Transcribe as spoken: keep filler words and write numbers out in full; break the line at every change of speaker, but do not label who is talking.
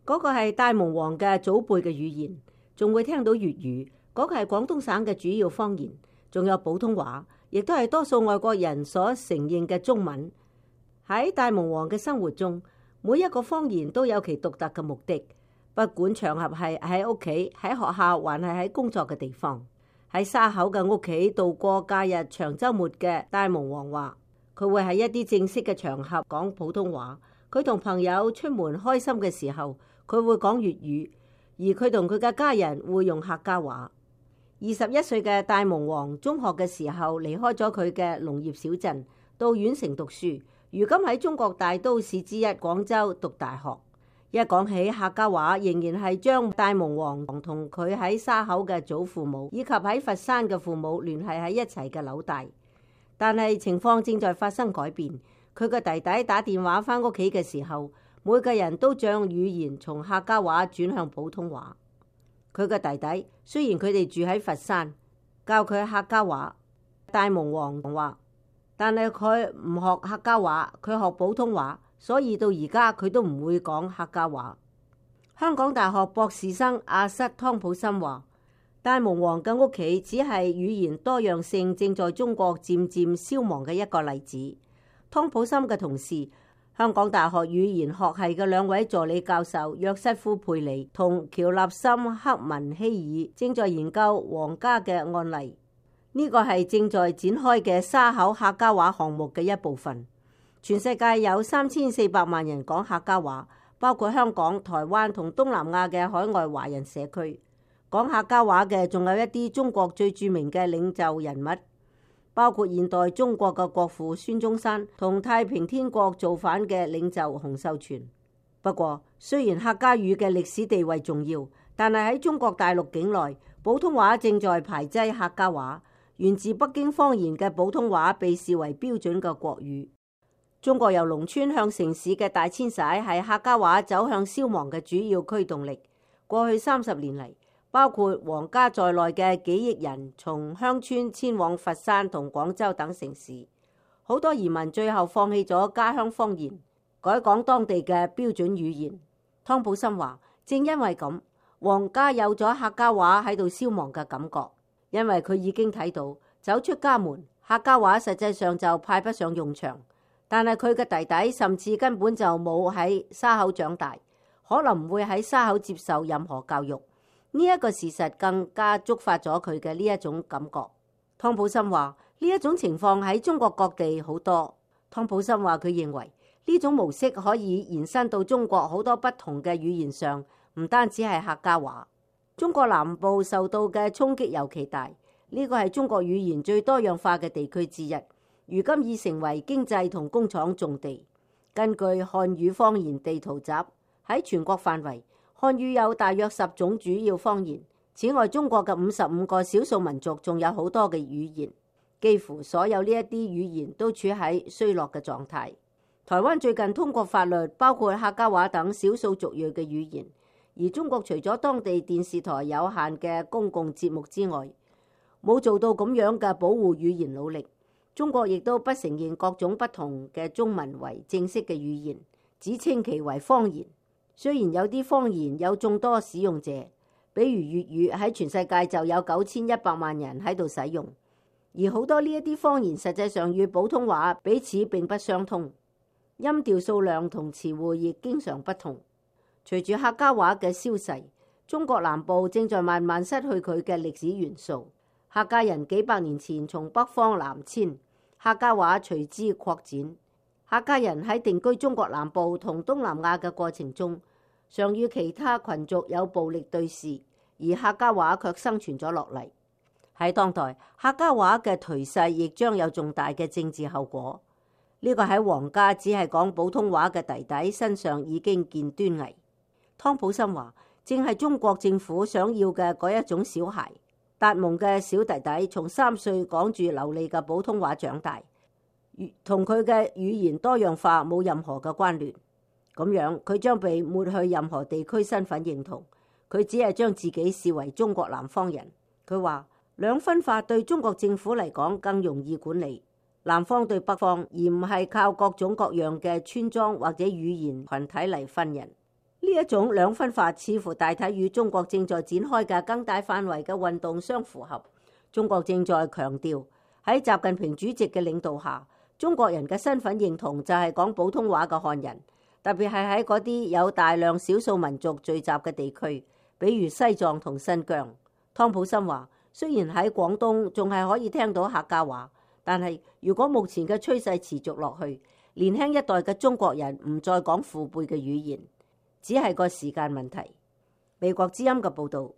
嗰個係大蒙王嘅祖輩嘅語言，仲會聽到粵語，嗰個係廣東省嘅主要方言，仲有普通話，亦都係多數外國人所承認嘅中文。喺大蒙王嘅生活中，每一個方言都有其獨特嘅目的，不管場合係喺屋企、喺學校，還係喺工作嘅地方。喺沙口嘅屋企度過假日長週末嘅大蒙王話，佢會喺一啲正式嘅場合講普通話。佢同朋友出門開心嘅時候，佢會講粵語，而佢同佢嘅家人會用客家話。二十一歲嘅大蒙王中學嘅時候離開咗佢嘅農業小鎮，到縣城讀書。如今喺中國大都市之一廣州讀大學。一講起客家話，仍然係將大蒙王同佢喺沙口嘅祖父母以及喺佛山嘅父母聯繫喺一齊嘅紐帶。但係情況正在發生改變。佢個弟弟打電話返屋企嘅時候，每個人都將語言從客家話轉向普通話。佢個弟弟雖然佢哋住喺佛山，教佢客家話，大蒙王話，但係佢唔學客家話，佢學普通話，所以到而家佢都唔會講客家話。香港大學博士生阿瑟湯普森話，大蒙王嘅屋企只係語言多樣性正在中國漸漸消亡嘅一個例子。湯普森嘅同事，香港大學語言學系嘅兩位助理教授約瑟夫佩里同喬納森克文希爾正在研究皇家嘅案例。呢個係正在展開嘅沙口客家話項目嘅一部分。全世界有三千四百萬人講客家話，包括香港、台灣同東南亞嘅海外華人社區。講客家話嘅仲有一啲中國最著名嘅領袖人物，包括現代中國嘅國父孫中山同太平天國造反嘅領袖洪秀全。不過，雖然客家語嘅歷史地位重要，但係喺中國大陸境內，普通話正在排擠客家話。源自北京方言嘅普通話被視為標準嘅國語。中國由農村向城市嘅大遷徙係客家話走向消亡嘅主要驅動力。過去三十年嚟，包括皇家在內嘅幾億人從鄉村遷往佛山同廣州等城市，好多移民最後放棄咗家鄉方言，改講當地嘅標準語言。湯普森話，正因為咁，皇家有咗客家話喺度消亡嘅感覺。因為佢已經睇到走出家門，客家話實際上就派不上用場。但係佢嘅弟弟甚至根本就冇喺沙口長大，可能唔會喺沙口接受任何教育。呢一個事實更加觸發咗佢嘅呢一種感覺。湯普森話，呢一種情況喺中國各地好多。湯普森話，佢認為呢種模式可以延伸到中國好多不同嘅語言上，唔單止係客家話。中國南部受到嘅衝擊尤其大，呢個係中國語言最多樣化嘅地區之一，如今已成為經濟同工廠重地。根據漢語方言地圖集，喺全國範圍，漢語有大約十種主要方言。此外，中國嘅五十五個少數民族仲有好多嘅語言，幾乎所有呢一啲語言都處喺衰落嘅狀態。台灣最近通過法律，包括客家話等少數族裔嘅語言。而中國除咗當地電視台有限嘅公共節目之外，冇做到咁樣嘅保護語言努力。中國亦都不承認各種不同嘅中文為正式嘅語言，只稱其為方言。雖然有啲方言有眾多使用者，比如粵語喺全世界就有九千一百萬人喺度使用，而好多呢一啲方言實際上與普通話彼此並不相通，音調數量同詞彙亦經常不同。隨住客家話嘅消逝，中國南部正在慢慢失去佢嘅歷史元素。客家人幾百年前從北方南遷，客家話隨之擴展。客家人喺定居中國南部同東南亞嘅過程中，常與其他群族有暴力對峙，而客家話卻生存咗落嚟。喺當代，客家話嘅頹勢亦將有重大嘅政治後果。呢個喺皇家只係講普通話嘅弟弟身上已經見端倪。湯普森話，正係中國政府想要嘅嗰一種小孩。達蒙嘅小弟弟從三歲講住流利嘅普通話長大，同佢嘅語言多樣化冇任何嘅關聯。咁樣佢將被抹去任何地區身份認同，佢只係將自己視為中國南方人。佢話兩分法對中國政府嚟講更容易管理，南方對北方，而唔係靠各種各樣嘅村莊或者語言群體嚟分人。呢一種兩分法似乎大體與中國正在展開嘅更大範圍嘅運動相符合。中國正在強調喺習近平主席嘅領導下，中國人嘅身份認同就係講普通話嘅漢人，特別係喺嗰啲有大量少數民族聚集嘅地區，比如西藏同新疆。湯普森話：雖然喺廣東仲係可以聽到客家話，但係如果目前嘅趨勢持續落去，年輕一代嘅中國人唔再講父輩嘅語言，只係個時間問題。美國之音嘅報導。